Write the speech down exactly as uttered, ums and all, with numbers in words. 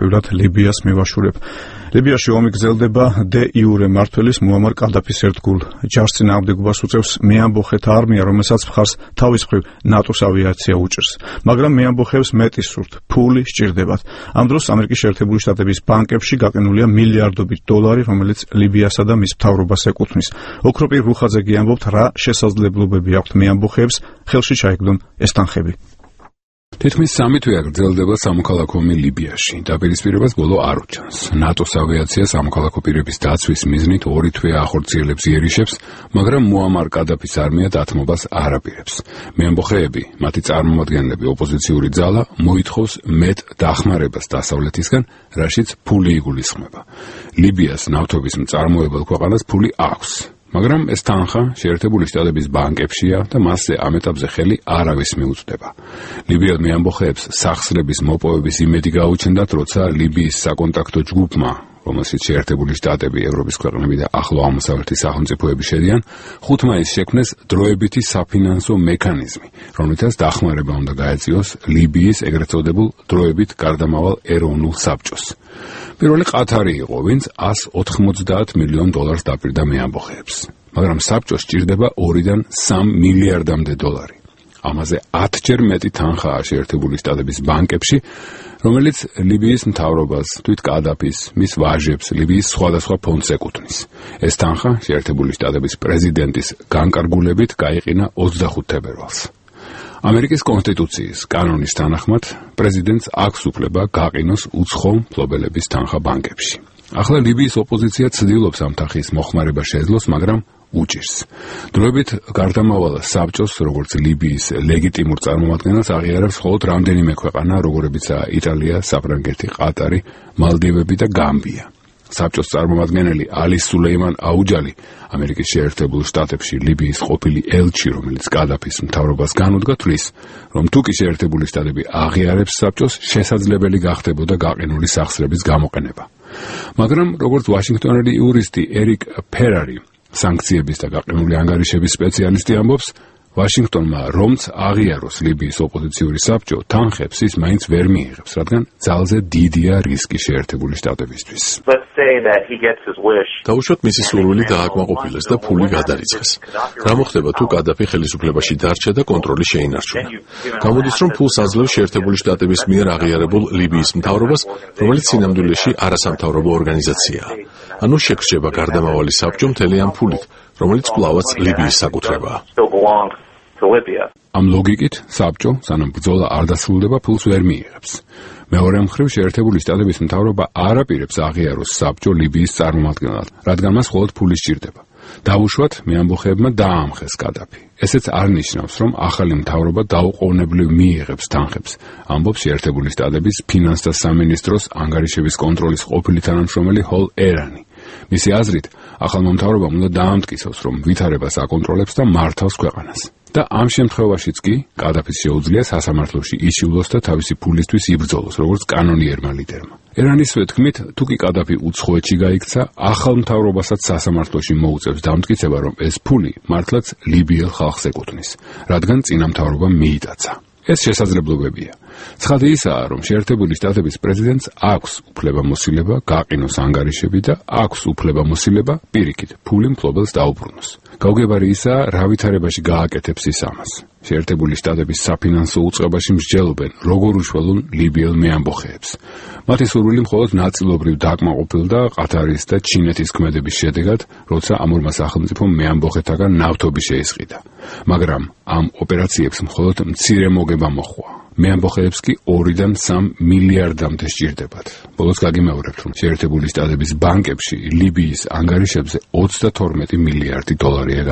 თავდაპირველად ლიბიას მევაშურებ. ლიბიაში ომი გრძელდება დე იურე მმართველის მუამარ კადაფის ერთგულ ჯარს წინააღმდეგობას უწევს მეამბოხეთა არმია, რომელსაც მხარს თავის მხრივ ნატოს ავიაცია უჭერს. მაგრამ მეამბოხეებს მეტი სურთ, ფული სჭირდებათ. ამ დროს ამერიკის შეერთებული შტატების ბანკებში გაყენულია მილიარდობით დოლარი, რომელიც ლიბიასა და მის მთავრობას ეკუთვნის. ოქროპირ რუხაძე გიამბობთ, რა შესაძლებლობები აქვთ მეამბოხეებს ხელში ჩაიგდონ ეს თანხები. თითქმის სამი თვეა გრძელდება სამოქალაქო ომი ლიბიაში. დაპირისპირებას ბოლო არ უჩანს. ნატოს ავიაცია სამოქალაქო პირების დაცვის მიზნით ორი თვე ახორციელებს იერიშებს, მაგრამ მუამარ კადაფის არმია დათმობას არ აპირებს. მეამბოხეები, მათი წარმომადგენლები, ოპოზიციური ძალა მოითხოვს მეტ დახმარებას დასავლეთისგან, რაშიც ფული იგულისხმება. ლიბიას ნავთობის მწარმოებელ ქვეყანას ფული აქვს. მაგრამ ეს თანხა შეერთებული შტატების ბანკებშია და მასზე ამ ეტაპზე ხელი არავის მიუწვდება. ლიბიელ მეამბოხეებს სახსრების მოპოვების იმედი გაუჩნდათ, როცა ლიბიის საკონტაქტო ჯგუფმა, რომელშიც შეერთებული შტატები, ევროპის ქვეყნები და ახლო აღმოსავლეთის სახელმწიფოები შედიან, ხუთ მაისს შექმნეს დროებითი საფინანსო მექანიზმი, რომლითაც დახმარება უნდა გაეწიოს ლიბიის ეგრეთ წოდებულ დროებით გარდამავალ ეროვნულ საბჭოს. პირველი ყათარი იყო, ვინც ას ოთხმოცდაათ მილიონ დოლარს დაპირდა მეამბოხეებს, მაგრამ საბჭოს სჭირდება ორიდან სამ მილიარდამდე დოლარი. ამაზე ათჯერ მეტი თანხაა შეერთებული შტატების ბანკებში, რომელიც ლიბიის მთავრობას, თვით კადაფის, მის ვაჟებს, ლიბიის სხვადასხვა ფონდს ეკუთვნის. ეს თანხა შეერთებული შტატების პრეზიდენტის განკარგულებით გაიყინა ოცდახუთ თებერვალს. ამერიკის კონსტიტუციის კანონის თანახმად პრეზიდენტს აქვს უფლება გაყინოს უცხო მფლობელების თანხა ბანკებში. ახლა ლიბიის ოპოზიცია ცდილობს ამ თანხის მოხმარება შეძლოს, მაგრამ უჭირს. დროებით გარდამავალ საბჭოს, როგორც ლიბიის ლეგიტიმურ წარმომადგენელს აღიარებს მხოლოდ რამდენიმე ქვეყანა, როგორებიცაა იტალია, საფრანგეთი, ყატარი, მალდივები და გამბია. საბჭოს წარმომადგენელი ალი სულეიმან აუჯალი, ამერიკის შეერთებულ შტატებში ლიბიის ყოფილი ელჩი, რომელიც კადაფის მთავრობას განუდგა, თვლის, რომ თუ კი შეერთებული შტატები აღიარებს საბჭოს, შესაძლებელი გახდებოდა გაყინული სახსრების გამოყენება. მაგრამ როგორც ვაშინგტონელი იურისტი ერიკ ფერარი, სანქციების და გაყინული ანგარიშების სპეციალისტი ამბობს, ვაშინგტონმა რომც აღიაროს ლიბიის ოპოზიციური საბჭო, თანხებს ის მაინც ვერ მიიღებს, რადგან ძალზე დიდია რისკი შეერთებული შტატებისთვის. დაუშვათ მისი სურვილი დააკმაყოფილეს და ფული გადარიცხეს. რა მოხდება თუ კადაფი ხელისუფლებაში დარჩა და კონტროლი შეინარჩუნა? გამოდის, რომ ფულს აძლევს შეერთებული შტატების მიერ აღიარებულ ლიბიის მთავრობას, რომელიც სინამდვილეში არასამთავრობო ორგანიზაციაა. ანუ შეგრჩება გარდამავალი საბჭო მთელი ამ ფულით, რომელიც კვლავაც ლიბიის საკუთრებაა. ამ ლოგიკით საბჭო, სანამ ბრძოლა არ დასრულდება, ფულს ვერ მიიღებს. მეორე მხრივ შეერთებული შტატების მთავრობა არ აპირებს აღიაროს საბჭო ლიბიის წარმომადგენლად, რადგან მას მხოლოდ ფული სჭირდება. დავუშვათ, მეამბოხეებმა დაამხეს კადაფი. ესეც არ ნიშნავს, რომ ახალი მთავრობა დაუყოვნებლივ მიიღებს თანხებს, ამბობს შეერთებული შტატების ფინანსთა სამინისტროს ანგარიშების კონტროლის ყოფილი თანამშრომელი ჰოლ ერანი. მისი აზრით, ახალმა მთავრობამ უნდა დაამტკიცოს, რომ ვითარებას აკონტროლებს და მართავს ქვეყანას. და ამ შემთხვევაშიც კი კადაფის შეუძლია სასამართლოში იშივლოს და თავისი ფულისთვის იბრძოლოს, როგორც კანონიერმა ლიდერმა. ერანის თქმით, თუ კი კადაფი უცხოეთში გაიქცა, ახალ მთავრობასაც სასამართლოში მოუწევს დამტკიცება, რომ ეს ფული მართლაც ლიბიელ ხალხს ეკუთვნის, რადგან წინა მთავრობამ მიიტაცა. ეს შესაძლებლობებია. ცხადი ისაა, რომ შეერთებული შტატების პრეზიდენტს აქვს უფლებამოსილება გაყინოს ანგარიშები და აქვს უფლებამოსილება პირიქით ფული მფლობელს დაუბრუნოს. გაუგებარი ისაა, რა ვითარებაში გააკეთებს ის ამას. შეერთებული შტატების საფინანსო უწყებაში მსჯელობენ, როგორ უშველონ ლიბიელ მეამბოხეებს. მათი სურვილი მხოლოდ ნაწილობრივ დაკმაყოფილდა ყათარის და ჩინეთის ქმედების შედეგად, როცა ამ ორმა სახელმწიფომ მეამბოხეთაგან ნავთობი შეისყიდა. მაგრამ ამ ოპერაციებს მხოლოდ მცირე მოგება მოჰყვა. მეამბოხეებს კი ორიდან სამ მილიარდამდე სჭირდებათ. ბოლოს გაგიმეორებთ, რომ შეერთებული შტატების ბანკებში ლიბიის ანგარიშებზე ოცდათორმეტი მილიარდი დოლარია